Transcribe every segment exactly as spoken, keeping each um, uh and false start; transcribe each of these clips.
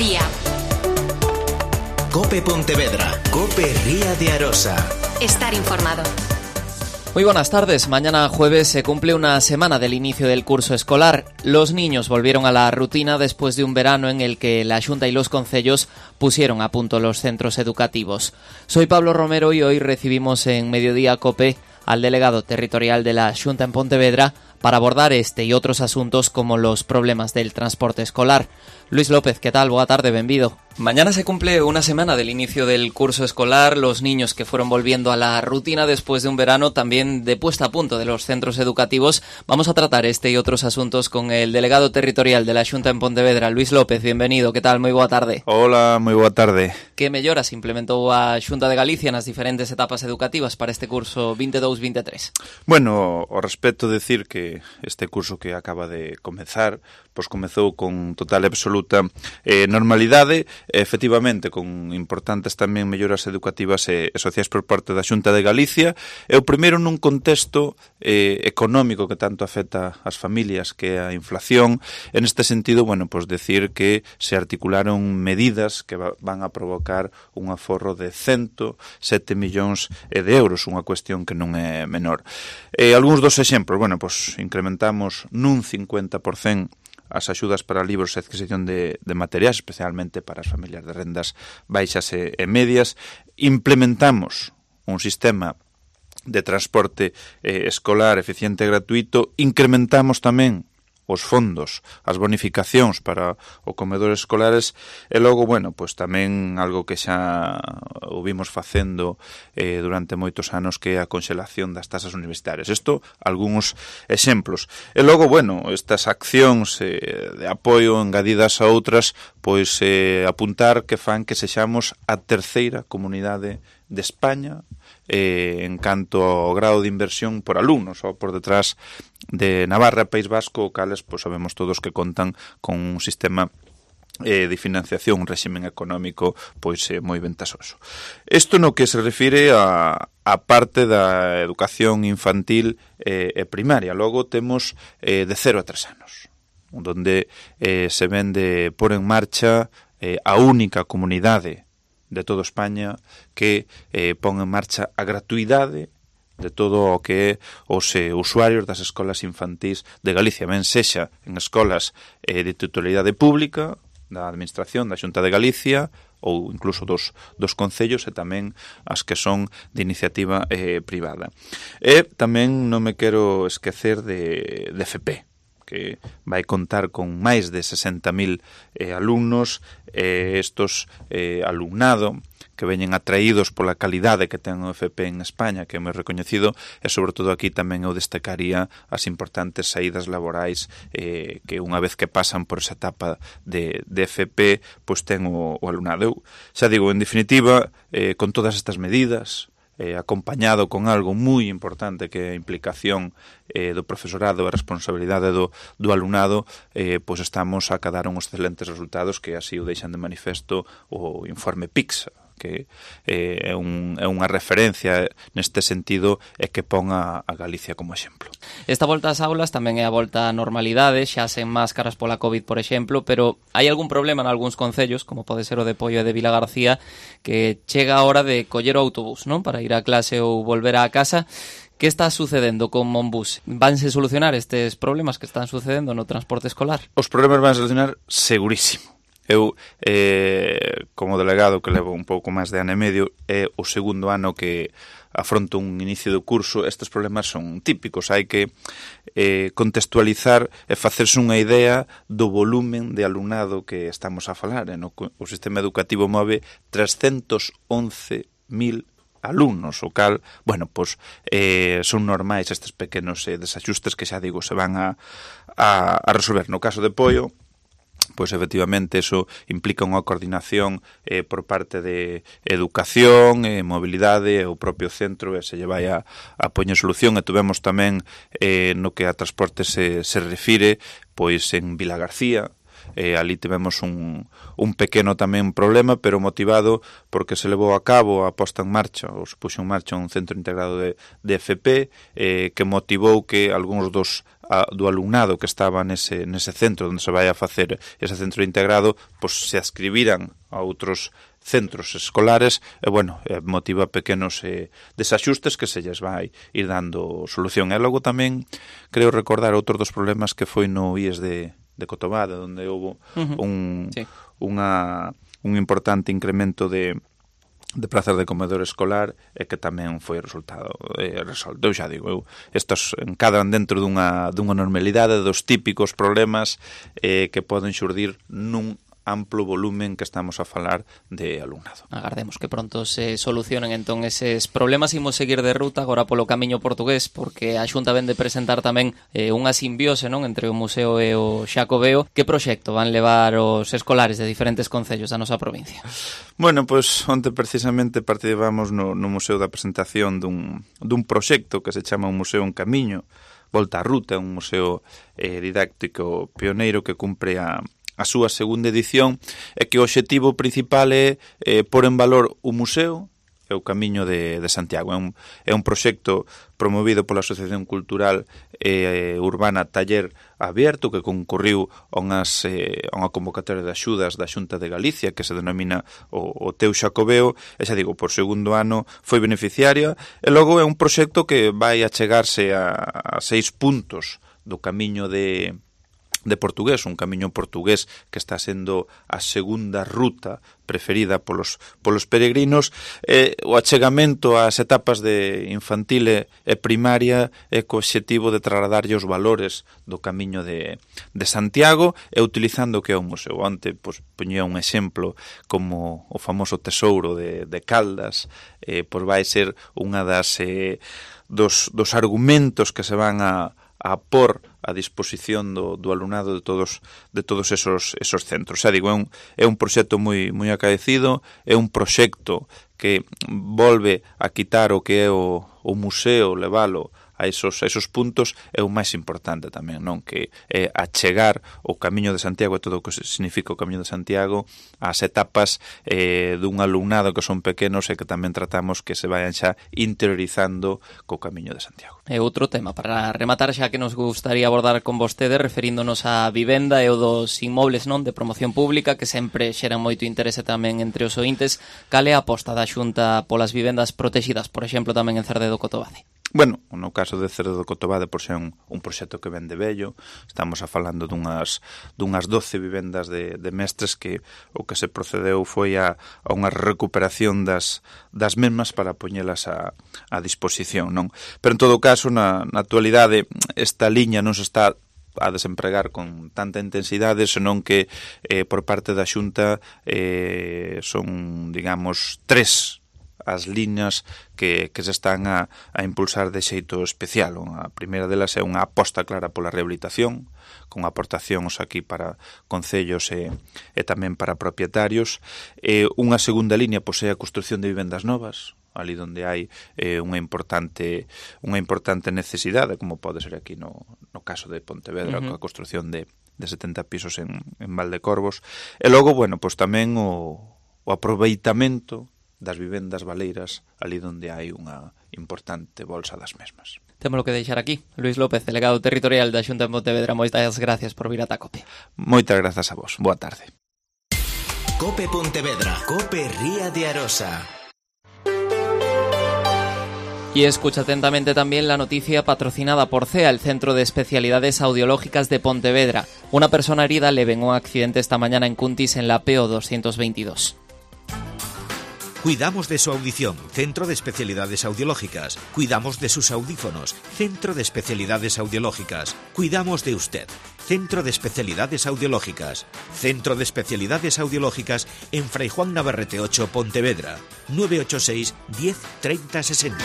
día. COPE Pontevedra, COPE Ría de Arosa. Estar informado. Muy buenas tardes. Mañana jueves se cumple una semana del inicio del curso escolar. Los niños volvieron a la rutina después de un verano en el que la Xunta y los concellos pusieron a punto los centros educativos. Soy Pablo Romero y hoy recibimos en Mediodía COPE al delegado territorial de la Xunta en Pontevedra para abordar este y otros asuntos como los problemas del transporte escolar. Luis López, ¿qué tal? Boa tarde, benvido. Mañana se cumple una semana del inicio del curso escolar. Los niños que fueron volviendo a la rutina después de un verano también de puesta a punto de los centros educativos. Vamos a tratar este y otros asuntos con el delegado territorial de la Xunta en Pontevedra, Luis López. Bienvenido, ¿qué tal? Moi boa tarde. Hola, moi boa tarde. Que melloras implementou a Xunta de Galicia nas diferentes etapas educativas para este curso veintidós veintitrés? Bueno, ao respecto decir que este curso que acaba de comezar, pois comezou con total e absoluta eh, normalidade, efectivamente con importantes tamén melloras educativas e, e sociais por parte da Xunta de Galicia, e o primeiro nun contexto eh, económico que tanto afecta ás familias, que é a inflación. En este sentido, bueno, pois decir que se articularon medidas que va, van a provocar un aforro de ciento sete millóns de euros, unha cuestión que non é menor. Eh, algúns dos exemplos, bueno, pois incrementamos nun cincuenta por cento as axudas para libros e adquisición de, de materiais, especialmente para as familias de rendas baixas e, e medias. Implementamos un sistema de transporte eh, escolar eficiente e gratuito. Incrementamos tamén os fondos, as bonificacións para o comedor escolares e logo, bueno, pois tamén algo que xa o vimos facendo eh, durante moitos anos, que é a conxelación das tasas universitarias. Isto, algúns exemplos. E logo, bueno, estas accións eh, de apoio engadidas a outras, pois eh, apuntar que fan que sexamos a terceira comunidade de España eh, en canto ao grado de inversión por alumnos, ou por detrás de Navarra e País Vasco, cales pois sabemos todos que contan con un sistema eh, de financiación, un réximen económico pois eh, moi ventasoso. Isto no que se refire a, a parte da educación infantil eh, e primaria. Logo temos eh, de cero a tres anos, onde eh, se ven de pôr en marcha eh, a única comunidade de toda España que eh, pon en marcha a gratuidade de todo o que é os eh, usuarios das escolas infantís de Galicia, ben sexa en escolas eh, de titularidade pública, da Administración, da Xunta de Galicia, ou incluso dos, dos concellos, e tamén as que son de iniciativa eh, privada. E tamén non me quero esquecer de, de F P, que vai contar con máis de sesenta mil eh, alumnos, e eh, estos eh, alumnado que veñen atraídos pola calidade que ten o F P en España, que é moi recoñecido, e sobre todo aquí tamén eu destacaría as importantes saídas laborais eh, que unha vez que pasan por esa etapa de, de F P, pois ten o, o alumnado. Eu xa digo, en definitiva, eh, con todas estas medidas, Eh, acompañado con algo moi importante que é a implicación eh, do profesorado e a responsabilidade do, do alumnado, eh, pois estamos a acadar uns excelentes resultados que así o deixan de manifesto o informe PISA, que eh, é, un, é unha referencia neste sentido e que pon a, a Galicia como exemplo. Esta volta ás aulas tamén é a volta á normalidade, xa sen máscaras pola COVID, por exemplo, pero hai algún problema en algúns concellos, como pode ser o de Poio e de Vilagarcía, que chega a hora de coller o autobús, non? Para ir á clase ou volver á casa. Que está sucedendo con Monbus? Vanse solucionar estes problemas que están sucedendo no transporte escolar? Os problemas van a solucionar segurísimo. Eu, eh, como delegado que levo un pouco máis de ano e medio, é o segundo ano que afronto un inicio do curso. Estes problemas son típicos, hai que eh, contextualizar e facerse unha idea do volumen de alumnado que estamos a falar. Eh, no, o sistema educativo move trescentos once mil alumnos, o cal, bueno, pois eh, son normais estes pequenos eh, desaxustes que xa digo se van a, a, a resolver. No caso de Poio, pois efectivamente eso implica unha coordinación eh, por parte de educación, eh, mobilidade, o propio centro, e se lle vai a, a poñer solución. E tuvemos tamén eh, no que a transporte se, se refire, pois en Vilagarcía, eh, ali tivemos un, un pequeno tamén problema, pero motivado porque se levou a cabo a posta en marcha, ou se puxo en marcha un centro integrado de, de F P, eh, que motivou que algúns dos a, do alumnado que estaba nese, nese centro onde se vai a facer ese centro integrado, pois se adscribiran a outros centros escolares e, bueno, motiva pequenos eh, desaxustes que se lles vai ir dando solución. E logo tamén creo recordar outro dos problemas que foi no I E S de, de Cotobade, onde houve uh-huh. un, sí. unha, un importante incremento de de plazas de comedor escolar e que tamén foi resultado eh, resolto. Eu xa digo, eu, estos encadran dentro dunha, dunha normalidade dos típicos problemas eh, que poden xurdir nun amplo volumen que estamos a falar de alumnado. Agardemos que pronto se solucionen entón eses problemas. Imos seguir de ruta agora polo camiño portugués, porque a Xunta ven de presentar tamén eh, unha simbiose, non, entre o museo e o Xacobeo. Que proxecto van levar os escolares de diferentes concellos da nosa provincia? Bueno, pois onte precisamente participamos no, no museo da presentación dun, dun proxecto que se chama un museo en camiño, Volta á Ruta, un museo eh, didáctico pioneiro que cumpre a a súa segunda edición, e que o obxectivo principal é eh, pôr en valor o museo e o Camiño de, de Santiago. É un, é un proxecto promovido pola Asociación Cultural eh, Urbana Taller Abierto, que concurriu a, unhas, eh, a unha convocatoria de axudas da Xunta de Galicia, que se denomina o, o Teu Xacobeo, e xa digo, por segundo ano foi beneficiaria, e logo é un proxecto que vai achegarse a, a seis puntos do Camiño de de portugués, un camiño portugués que está sendo a segunda ruta preferida polos, polos peregrinos. Eh, o achegamento ás etapas de infantil e primaria é co obxectivo de trasladarlle os valores do camiño de, de Santiago e utilizando o que é o museo. Onte, pois, poñía un exemplo como o famoso tesouro de, de Caldas, eh, pois vai ser unha das eh, dos, dos argumentos que se van a a por a disposición do, do alumnado de todos de todos esos esos centros. Xa digo, é un, é un proxecto moi moi acaecido, é un proxecto que volve a quitar o que é o, o museo, levalo a esos, a esos puntos, é o máis importante tamén, non? Que é achegar o Camiño de Santiago e todo o que significa o Camiño de Santiago ás etapas eh, dun alumnado que son pequenos e que tamén tratamos que se vayan xa interiorizando co Camiño de Santiago. E outro tema, para rematar, xa que nos gustaría abordar con vostede, referíndonos á vivenda e o dos inmobles, non, de promoción pública, que sempre xeran moito interese tamén entre os ointes. Cal é a aposta da Xunta polas vivendas protegidas, por exemplo, tamén en Cerdedo Cotobade? Bueno, no caso de Cerdedo Cotobade, por ser un, un proxecto que ven de vello, estamos a falando dunhas, dunhas doce vivendas de, de mestres que o que se procedeu foi a, a unha recuperación das, das mesmas para poñelas a, a disposición, non? Pero en todo caso, na, na actualidade, esta liña non se está a desempregar con tanta intensidade, senón que eh, por parte da Xunta eh, son, digamos, tres as liñas que, que se están a, a impulsar de xeito especial. A primeira delas é unha aposta clara pola rehabilitación, con aportacións aquí para concellos e, e tamén para propietarios. E unha segunda liña pois, é a construción de vivendas novas, ali onde hai eh, unha importante unha importante necesidade, como pode ser aquí no, no caso de Pontevedra, uh-huh. coa construción de, de setenta pisos en, en Valdecorvos. E logo, bueno, pois tamén o, o aproveitamento das vivendas baleiras ali onde hai unha importante bolsa das mesmas. Temos que deixar aquí. Luís López, delegado territorial da Xunta de Pontevedra, moitas gracias por vir ata COPE. Moitas grazas a vos. Boa tarde. COPE Pontevedra. COPE Ría de Arosa. Y escucha atentamente también la noticia patrocinada por C E A, el Centro de Especialidades Audiológicas de Pontevedra. Una persona herida leve en un accidente esta mañana en Cuntis en la P O doscientos veintidós. Cuidamos de su audición, Centro de Especialidades Audiológicas. Cuidamos de sus audífonos, Centro de Especialidades Audiológicas. Cuidamos de usted, Centro de Especialidades Audiológicas. Centro de Especialidades Audiológicas en Fray Juan Navarrete ocho, Pontevedra. nueve ocho seis, diez, treinta, sesenta.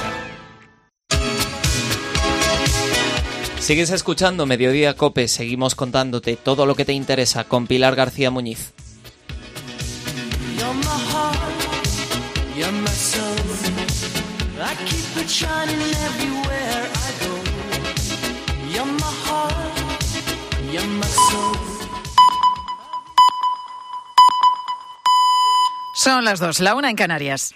Sigues escuchando Mediodía COPE, seguimos contándote todo lo que te interesa con Pilar García Muñiz. You're my soul. I keep it shining everywhere I go. You're my heart. You're my soul. Son las dos, la una en Canarias.